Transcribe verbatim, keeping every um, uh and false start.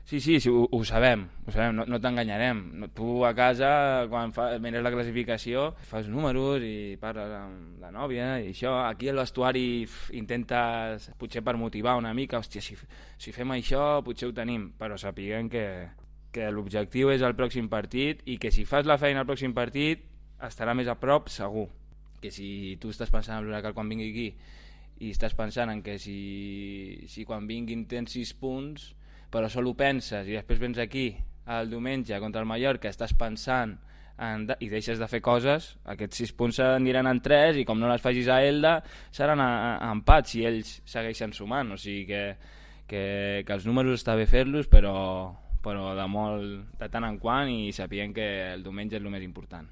Sí, sí, sí, ho, ho sabem, ho sabem, no, no t'enganyarem. No, tu a casa, quan fa, mires la classificació, fas números i parles amb la nòvia i això. Aquí al vestuari f, intentes, potser per motivar una mica, hòstia, si, si fem això potser ho tenim, però sapiguem que, que l'objectiu és el pròxim partit i que si fas la feina al pròxim partit estarà més a prop segur. Que si tu estàs pensant en l'Huracan quan vingui aquí i estàs pensant en que si, si quan vinguin tens sis punts però sol ho penses i després vens aquí el diumenge contra el Mallorca, estàs pensant en, i deixes de fer coses, aquests sis punts aniran en tres i com no les facis a Elda seran a, a empats si ells segueixen sumant, o sigui que, que, que els números està bé fer-los però, però de molt de tant en quant i sapient que el diumenge és el més important.